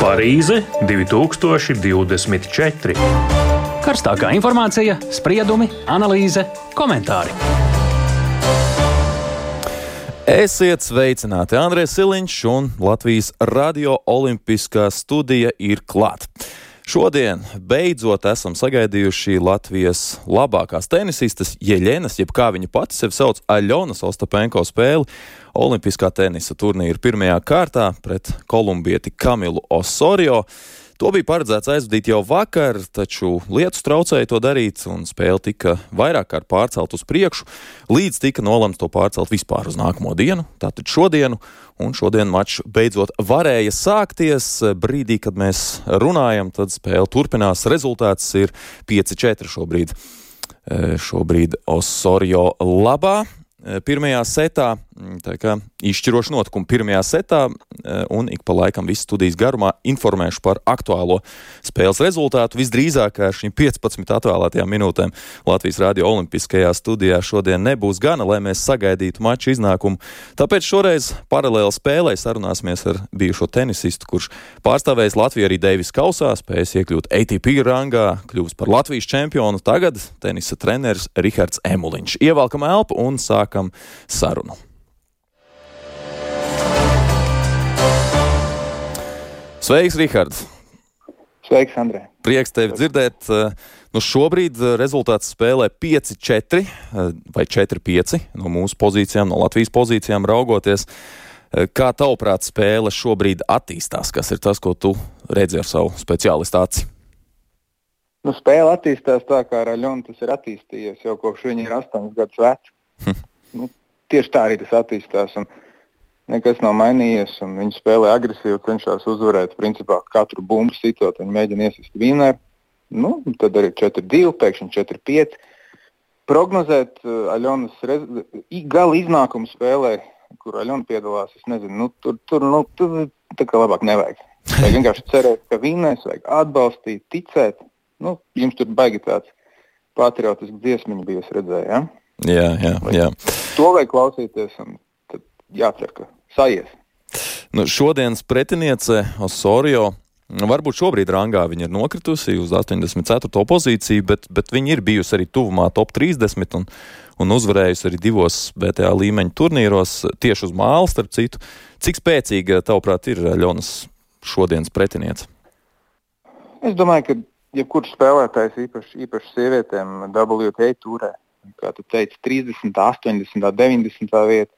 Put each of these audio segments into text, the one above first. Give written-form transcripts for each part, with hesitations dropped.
Parīze 2024. Karstākā informācija, spriedumi, analīze, komentāri. Esiet sveicināti! Andrēs Siliņš un Latvijas Radio Olimpiskā studija ir klāt. Šodien beidzot esam sagaidījuši Latvijas labākās tenisistas Jeļenas, jeb kā viņa pati sevi sauc, Aļonas Ostapenko spēli Olimpiskā tenisa turnīra pirmajā kārtā pret kolumbieti Kamilu Osorio. To bija paredzēts aizvadīt jau vakar, taču lietus traucēja to darīt, un spēle tika vairāk kārt pārcelt uz priekšu, līdz tika nolemts to pārcelt vispār uz nākamo dienu, tātad šodienu, un šodien mačs beidzot varēja sākties. Brīdī, kad mēs runājam, tad spēle turpinās. Rezultāts ir 5-4 šobrīd. Šobrīd Osorio labā. Pirmajā setā, tā kā izšķiroši notikumi pirmajā setā, un ik pa laikam visu studijas garumā informēšu par aktuālo spēles rezultātu. Visdrīzāk ar šīm 15 atvēlētajām minūtēm Latvijas Radio Olimpiskajā studijā šodien nebūs gana, lai mēs sagaidītu maču iznākumu. Tāpēc šoreiz paralēli spēlē sarunāsimies ar bijušo tenisistu, kurš pārstāvējis Latviju arī Deivis kausā, spējis iekļūt ATP rangā, kļuvis par Latvijas čempionu, tagad tenisa treneris Rihards Emuliņš. Ievelkam elpu un sākam sarunu. Sveiks, Rihards! Sveiks, Andrē! Prieks tevi dzirdēt. Šobrīd rezultāts spēlē 5-4 vai 4-5 no mūsu pozīcijām, no Latvijas pozīcijām raugoties. Kā tavuprāt spēle šobrīd attīstās? Kas ir tas, ko tu redzi ar savu speciālistu aci? Spēle attīstās tā, kā ar Aļonu tas ir attīstījies, jau kopš viņa ir 8 gadus veca. Tieši tā arī tas attīstās, un nekas nav mainījies, un viņi spēlē agresīvi, cenšas uzvarēt, principā katru bumbu sitot, viņi mēģina iesist vinēru, tad arī 4-2, pēkšņi 4-5. Prognozēt Aļonas gala iznākumu spēlē, kur Aļona piedalās, es nezinu, tur tā kā labāk nevajag. Vajag vienkārši cerēt, ka vinēs, vajag atbalstīt, ticēt. Jums tur baigi tāds patriotisks dziesmiņu bija, es redzēju, ja? Jā. To vajag klausīties, un tad jācer, ka sajies. Šodienas pretiniece Osorio, varbūt šobrīd rangā viņa ir nokritusi uz 84. pozīciju, bet viņa ir bijusi arī tuvumā top 30 un uzvarējusi arī 2 BTA līmeņa turnīros, tieši uz māla, starp citu. Cik spēcīga, tavuprāt, ir Aļonas šodienas pretiniece? Es domāju, ka jebkurš spēlētājs, īpaši sievietēm WTA turē, kā tu teici, 30, 80, 90 vieta.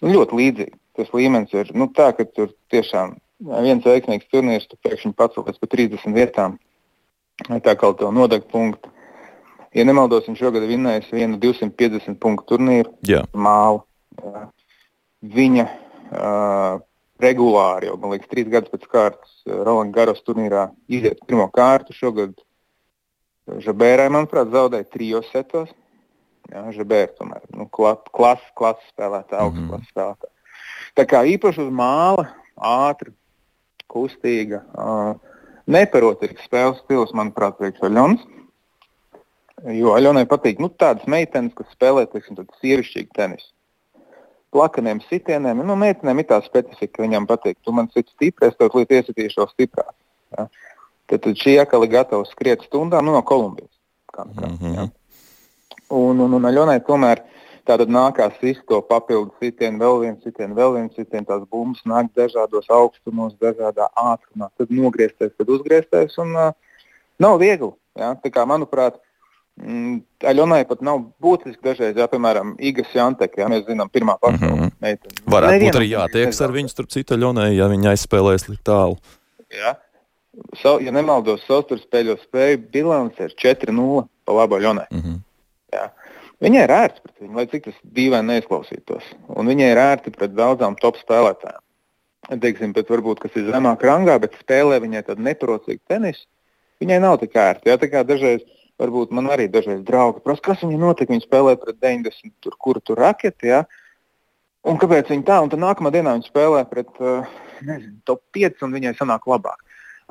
Ļoti līdzīgi. Tas līmenis ir tā, ka tur tiešām viens veiksmīgs turnīrs, tu pēkšņi pacelies pa 30 vietām. Tā kā tev nodeg punktu. Ja nemaldos, viņš šogad vinnējis vienu 250 punktu turnīru. Mālu. Viņa regulāri, jau, man liekas, 3 gadus pēc kārtas Roland Garros turnīrā iziet pirmo kārtu. Šogad Žabērai, manuprāt, zaudēja 3 setos. Žabēra tomēr, klases spēlētā, augstu klases spēlētā. Tā kā īpaši uz māla, ātri, kustīga, neparotīgs spēles stils, manuprāt, priekš Aļonas. Jo Aļonai patīk, tādas meitenes, kas spēlē, teiksim, tad sievišķīgi tenisu. Plakaniem sitieniem, meitenēm ir tā specifika, viņam patīk. Tu man sit stipri, es tev līdz iesitīšu vēl stiprāk. Ja? Tad šī akali gatava skriet stundām, no Kolumbijas. Un Aļonai tomēr tātad nākās visu to papildu sitienu, vēl viens sitienu, tās bumbas nāk dažādos augstumos, dažādā ātrumā, tad nogriezties, tad uzgriezties, un nav viegli. Ja? Tā kā, manuprāt, Aļonai pat nav būtiski dažreiz, piemēram, Iga Swiatek, mēs zinām, pirmā pasaules meitene. Varētu būt arī jātieks ar viņu, starp citu Aļonai, ja viņa aizspēlēs līdz tālu. Ja nemaldos, savstarpspēļu spēju bilance ir 4-0 pa labu Aļonai. Jā. Viņai ir ērti pret viņu, lai cik tas dīvaini neizklausītos. Un viņai ir ērti pret daudzām top spēlētājām. Teiksim, bet varbūt, kas ir zemāk rangā, bet spēlē viņai tādu neparocīgu tenisu, viņai nav tik ērti. Tā kā dažreiz, varbūt man arī dažreiz draugi prasa, kas viņai notika, viņa spēlē pret 90, kuru tur raketi, un kāpēc viņa tā, un tad nākamā dienā viņa spēlē pret, top 5, un viņai sanāk labāk.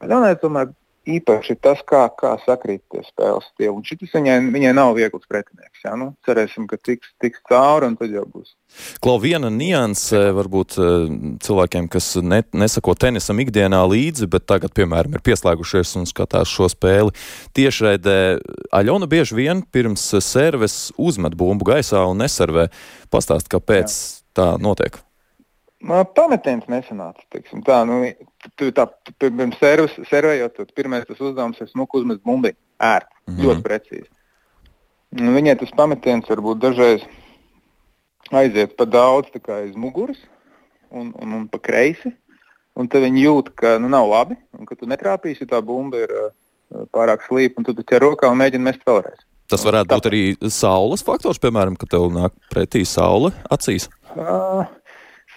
Aļonai tomēr īpaši ir tas, kā sakrīt tie spēles stili. Un šitas viņai nav viegls pretinieks. Jā? Nu, cerēsim, ka tiks cauri un tad jau būs. Klau, viena nianse varbūt cilvēkiem, kas nesako tenisam ikdienā līdzi, bet tagad, piemēram, ir pieslēgušies un skatās šo spēli tiešraidē. Aļona bieži vien pirms serves uzmet bumbu gaisā un neservē. Pastāst, kāpēc tā notiek? Pametiens nesanāca, teiksim tā. Pirms servējot, pirmais tas uzdevums ir smuku uzmest bumbi. Ļoti precīzi. Viņai tas pametiens varbūt dažreiz aiziet pa daudz tā kā aiz muguras un pa kreisi. Un tad viņi jūt, ka nav labi, un ka tu netrāpīsi, tā bumba ir pārāk slīpa, un tu ķer rokā un mēģini mest vēlreiz. Tas varētu būt arī saules faktors, piemēram, ka tev nāk pretī saule acīs?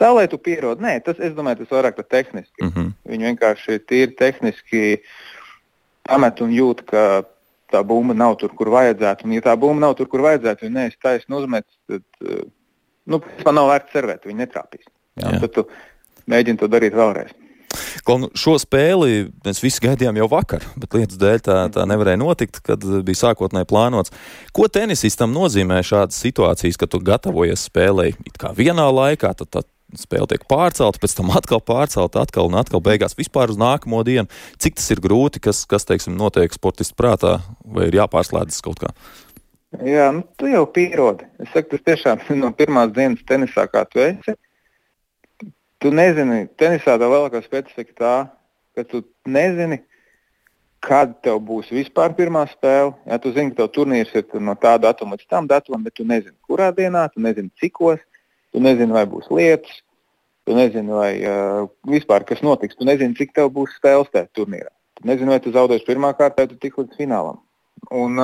Saulē tu pierodi. Nē, es domāju, tas vairāk tā tehniski. Viņi vienkārši tīri tehniski pamet un jūt, ka tā bumba nav tur, kur vajadzētu. Un ja tā bumba nav tur, kur vajadzētu, ja neesi taisni uzmetis, tad nav vērts servēt, viņi netrāpīs. Tad tu mēģini to darīt vēlreiz. Šo spēli mēs visi gaidījām jau vakar, bet lietas dēļ tā nevarēja notikt, kad bija sākotnēji plānots. Ko tenisistam nozīmē šādas situācijas, kad tu gatavojies spēlei it kā vienā laikā, tad spēle tiek pārcelta, pēc tam atkal pārcelta, atkal un atkal beigās vispār uz nākamo dienu? Cik tas ir grūti, kas teiksim, notiek sportistu prātā, vai ir jāpārslēdzas kaut kā? Jā, tu jau pierodi. Es saku, tas tiešām no pirmās dienas tenisā, kā tu esi. Tu nezini, tenisā tā lielākā specifika tā, ka tu nezini, kad tev būs vispār pirmā spēle. Ja, tu zini, ka tev turnīrs ir no tā datuma līdz tam datumam, bet tu nezini, kurā dienā, tu nezini, cikos, tu nezini, vai būs lietus, tu nezini, vai vispār kas notiks, tu nezini, cik tev būs spēles tajā turnīrā. Tu nezini, vai tu zaudēsi pirmā kārtā, vai tu tik līdz finālam. Un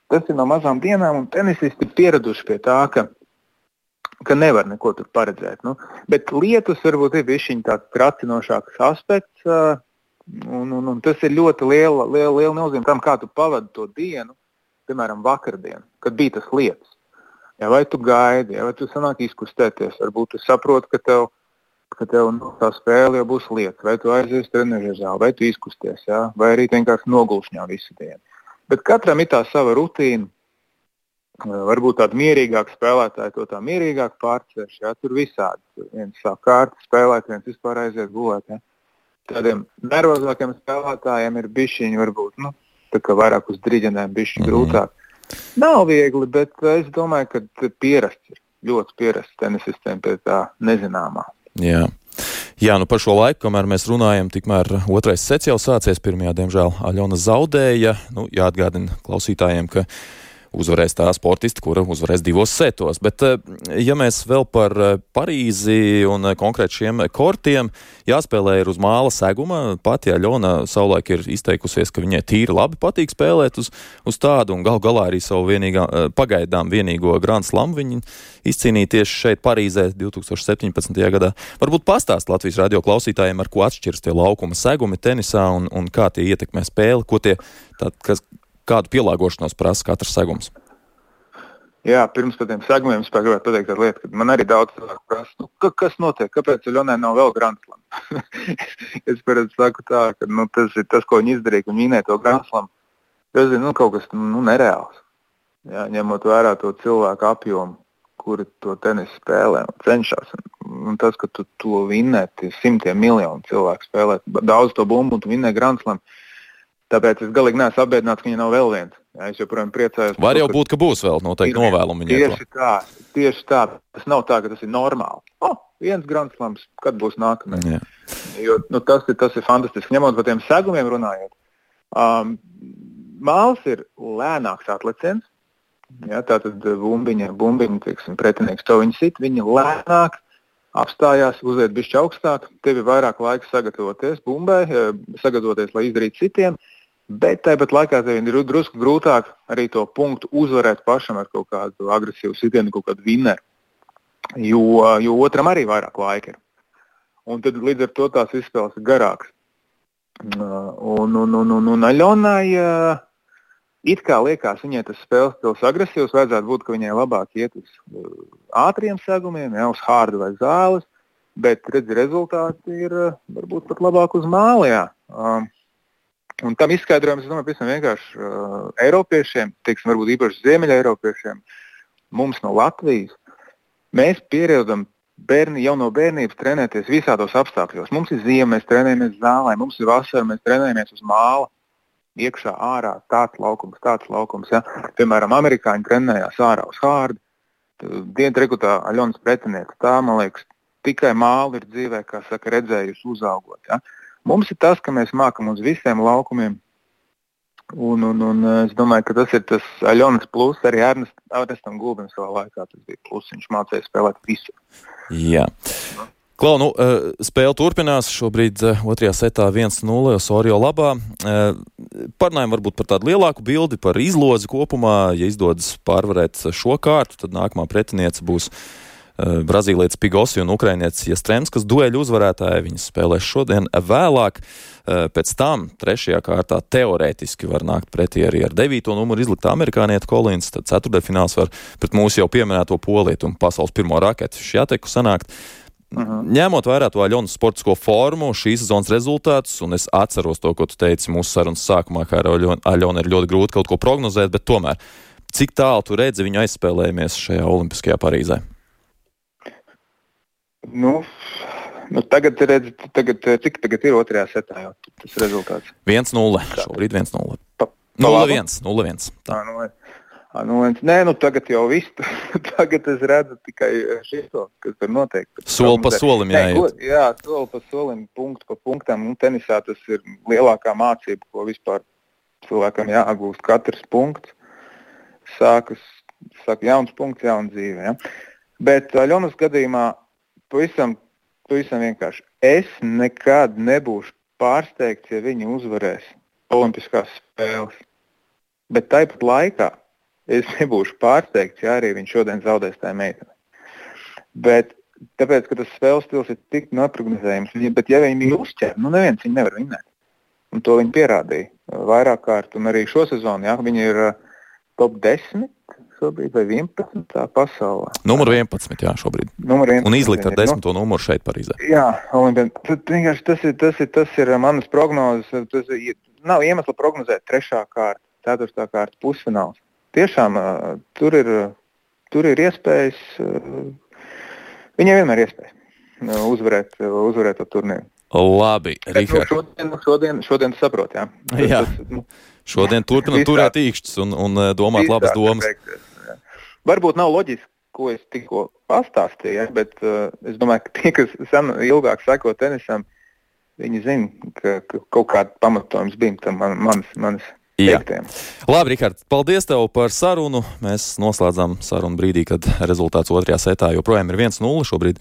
tas ir no mazām dienām, un tenisisti ir pieraduši pie tā, ka nevar neko tur paredzēt. Bet lietus varbūt ir bišķiņ tāds tracinošāks aspekts, un tas ir ļoti liela nozīme tam, kā tu pavadi to dienu, piemēram, vakardienu, kad bija tas lietus. Ja, vai tu gaidi, vai tu sanāk izkustēties, varbūt tu saproti, ka tev tā spēle jau būs lietus, vai tu aizies trenežu zāli, vai tu izkusties, ja, vai arī vienkārši nogulšņā visu dienu. Bet katram ir tā sava rutīna. Varbūt tādi mierīgāki spēlētāji to tā mierīgāk pārcēš. Ja? Tur visādi. Viens sāk kārti spēlēt, viens vispār aiziet gulēt. Ja? Tādiem nervozākiem spēlētājiem ir bišķiņi varbūt, tā kā vairāk uz driģenēm bišķi grūtāk. Nav viegli, bet es domāju, ka pierasts ir. Ļoti pierasts tenisistiem pie tā nezināmā. Jā. Jā, par šo laiku, kamēr mēs runājam, tikmēr otrais sets jau sācies. Pirmajā, diemžēl, Aļona zaudēja. Jāatgādina klausītājiem, ka uzvarēs tā sportista, kura uzvarēs 2 setos. Bet, ja mēs vēl par Parīzi un konkrēti šiem kortiem, jāspēlē ir uz māla seguma. Pati Aļona savulaik ir izteikusies, ka viņai tīri labi patīk spēlēt uz tādu, un galā arī savu pagaidām vienīgo Grand Slam viņa izcīnīja tieši šeit Parīzē 2017. gadā. Varbūt pastāst Latvijas radio klausītājiem, ar ko atšķiras tie laukuma segumi tenisā un kā tie ietekmē spēli, kādu pielāgošanos prasa katrs segums? Jā, pirms par tiem segumiem es gribētu pateikt tādu lietu, ka man arī daudz cilvēku prasa, kas notiek, kāpēc Aļonai nav vēl Grand Slam? Es parasti saku tā, ka tas ir tas, ko viņi izdarīja, ka viņi vinēja to Grand Slam. Tas ir kaut kas nereāls. Jā, ņemot vērā to cilvēku apjomu, kuri to tenisu spēlē un cenšas. Un tas, ka tu to vinnē, tie simtiem miljonu cilvēku spēlē, daudz to bumbu un tu vinnē Grand Slam. Tāpēc es galīgi neesmu apbēdināts, ka viņa nav vēl viens. Jā, es joprojām priecājos. Var jau būt, ka būs vēl noteikti novēlumi viņai. Tieši tā. Tas nav tā, ka tas ir normāli. Viens Grand Slams, kad būs nākamais. Jo tas ir fantastiski. Ņemot par tiem segumiem runājot. Māls ir lēnāks atleciens. Jā, tātad bumbiņa, teiksim, pretinieks to viņa sit. Viņa lēnāk apstājās, uziet bišķi augstāk. Tev ir vairāk laika sagatavoties bumbai, sagatavoties, lai izdarītu citiem. Bet tāpat laikā tev ir drusku grūtāk arī to punktu uzvarēt pašam ar kaut kādu agresīvu sitienu, kaut kādu vinneru, jo otram arī vairāk laika ir. Un tad līdz ar to tās izspēles ir garākas. Un Aļonai it kā liekas, viņai tas spēles stils agresīvs, vajadzētu būt, ka viņai labāk iet uz ātriem segumiem, uz hārdu vai zāles, bet redzi, rezultāti ir varbūt pat labāk uz māla. Un tam izskaidrojums, es domāju, pavisam vienkārši Eiropiešiem, teiksim, varbūt īpaši Ziemeļa Eiropiešiem, mums no Latvijas, mēs pieredam jau no bērnības trenēties visādos apstākļos. Mums ir ziema, mēs trenējamies zālē, mums ir vasara, mēs trenējamies uz māla, iekšā, ārā, tāds laukums. Ja? Piemēram, amerikāņi trenējās ārā uz hārdu, dientrikutā Aļonas pretinieks. Tā, man liekas, tikai māli ir dzīvē, kā saka, redzējusi uzaugot. Ja? Mums ir tas, ka mēs mākam uz visiem laukumiem, un es domāju, ka tas ir tas Aļonas plus, arī Ernestam Gulbim savā laikā tas bija plus, viņš mācīja spēlēt visu. Jā. Klau, spēle turpinās, šobrīd otrajā setā 1-0 Osorio labā. Parunājam varbūt par tādu lielāku bildi, par izlozi kopumā. Ja izdodas pārvarēt šo kārtu, tad nākamā pretiniece būs Brazīlietis Pigosi un ukrainietis Jastremskas dueļu uzvarētāji. Viņas spēlēs šodien vēlāk. Pēc tam trešajā kārtā teorētiski var nākt pretī arī ar 9. numuru izliktā amerikānieta Kolins, tad ceturtdaļfināls var pret mūsu jau pieminēto polietu un pasaules pirmo raketi Šjateku sanākt. Ņemot vērā to Aļonas sportisko formu, šīs sezonas rezultātus, un es atceros to, ko tu teici mūsu sarunas sākumā, kā ar Aļonu ir ļoti grūti kaut ko prognozēt, bet tomēr, cik tālu tu redzi viņu aizspēlējamies šajā Olimpiskajā Parīzē? Tagad cik tagad ir otrajā setā jau tas rezultāts? 1-0, šobrīd 1-0. 0-1. Tagad jau viss. Tagad es redzu tikai šito, kas tur notiek. Soli pa solim jāiet. Jā, soli pa solim, punktu pa punktam. Tenisā tas ir lielākā mācība, ko vispār cilvēkam jāgūst. Katrs punkts sākas jauns punkts, jauna dzīve. Ja? Bet Aļonas gadījumā pavisam vienkārši. Es nekad nebūšu pārsteigts, ja viņi uzvarēs Olimpiskās spēles. Bet tāpat laikā es nebūšu pārsteigts, ja arī viņš šodien zaudēs tā meitene. Bet tāpēc, ka tas spēles stils ir tik neprognozējams, bet ja viņi uzķer, neviens viņu nevar vinēt. Un to viņi pierādīja vairāk kārt. Un arī šo sezonu, viņi ir top 10 šobrīd vai 11 pasaulē. Numur 11, jā, šobrīd. Un izlikt ar 10. numuru šeit Parīzē. Jā, tas ir manas prognozes. Nav iemesla prognozēt 3. kārta, 4. kārta pusfināls. Tiešām tur ir iespējas, viņiem vienmēr iespējas uzvarēt to turnīru. Labi, Rihard. Šodien saprot, jā. Jā. Šodien turpinam turēt īkšķus un domāt labas domas. Varbūt nav loģiski, ko es tikko pastāstīju, bet es domāju, ka tie, kas ilgāk seko tenisam, viņi zina, ka kaut kāda pamatojums bija tam manis teiktiem. Labi, Rihard, paldies tev par sarunu. Mēs noslēdzām sarunu brīdī, kad rezultāts otrajā setā joprojām ir 1-0. Šobrīd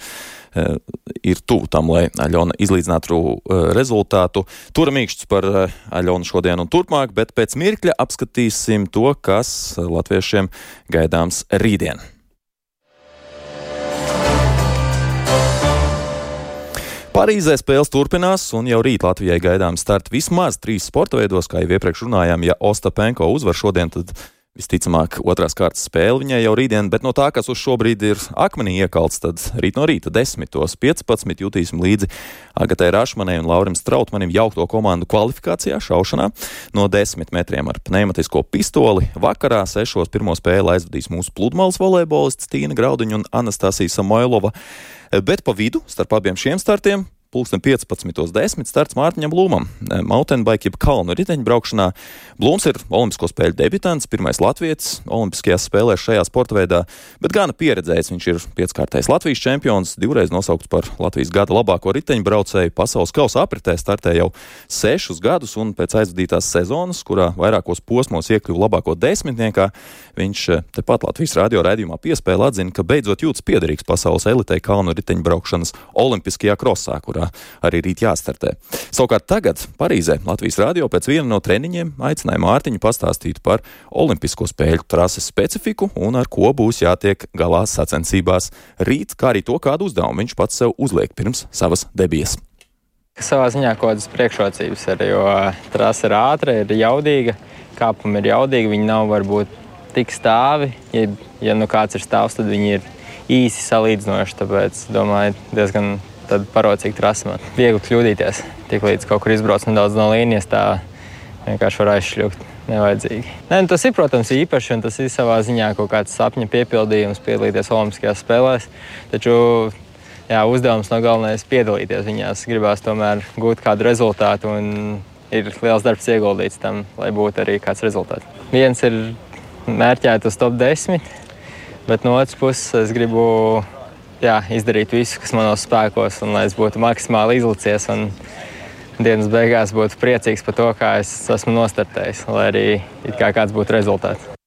ir tuvu tam, lai Aļona izlīdzinātu rezultātu. Turam īkšķus par Aļonu šodien un turpmāk, bet pēc mirkļa apskatīsim to, kas latviešiem gaidāms rītdien. Parīzē spēles turpinās, un jau rīt Latvijai gaidām starti vismaz 3 sporta veidos, kā jau iepriekš runājām. Ja Ostapenko uzvar šodien, tad visticamāk otrās kārtas spēle viņai jau rītdien, bet no tā, kas uz šobrīd ir akmenī iekalts, tad rīt no rīta 10:15 jutīsim līdzi Agatai Rašmanai un Laurim Strautmanim jaukto komandu kvalifikācijā šaušanā no 10 metriem ar pneimatisko pistoli. Vakarā 6 pirmo spēli aizvadīs mūsu pludmales volejbolists Tīna Graudiņa un Anastasija Samoilova, bet pa vidu starp abiem šiem startiem 15:10 starts Mārtiņam Blūmam. Mountainbike jeb kalnu riteņbraukšanā. Blūms ir olimpisko spēļu debitants, pirmais latvietis olimpiskajās spēlēs šajā sporta veidā, bet gana pieredzējis. Viņš ir 5-kārtais Latvijas čempions, 2 nosaukts par Latvijas gada labāko riteņbraucēju. Pasaules kausa apritē startē jau 6 gadus, un pēc aizvadītās sezonas, kurā vairākos posmos iekļuva labāko 10-niekā, viņš tepat Latvijas radio raidījumā Piespēle atzina, ka beidzot jūtas piederīgs pasaules elitei kalnu riteņbraukšanas olimpiskajā krosā, arī rīt jāstartē. Savukārt tagad Parīzē Latvijas radio pēc viena no treniņiem aicināja Mārtiņu pastāstīt par olimpisko spēļu trases specifiku un ar ko būs jātiek galā sacensībās rīt, kā arī to, kādu uzdevumu viņš pats sev uzliek pirms savas debijas. Savā ziņā kaut kādas priekšrocības ir, jo trase ir ātra, ir jaudīga, kāpumi ir jaudīgi, viņi nav varbūt tik stāvi. Ja kāds ir stāvs, tad viņi ir īsi salīdzinoši, tāpēc, domāju, diezgan tad parocīgi trasi man. Viegli kļūdīties. Tik līdz kaut kur izbrauc nedaudz no līnijas, tā vienkārši var aizšļūt nevajadzīgi. Nē, tas ir, protams, īpaši, un tas ir savā ziņā kaut kāds sapņa piepildījums piedalīties Olimpiskajās spēlēs. Taču uzdevums nav galvenais piedalīties viņās. Gribās tomēr gūt kādu rezultātu, un ir liels darbs ieguldīts tam, lai būtu arī kāds rezultāts. Viens ir mērķēt uz top 10, bet no otras puses es gribu izdarīt visu, kas manos spēkos, un lai es būtu maksimāli izlicies un dienas beigās būtu priecīgs par to, kā es esmu nostartējis, lai arī kāds būtu rezultāts.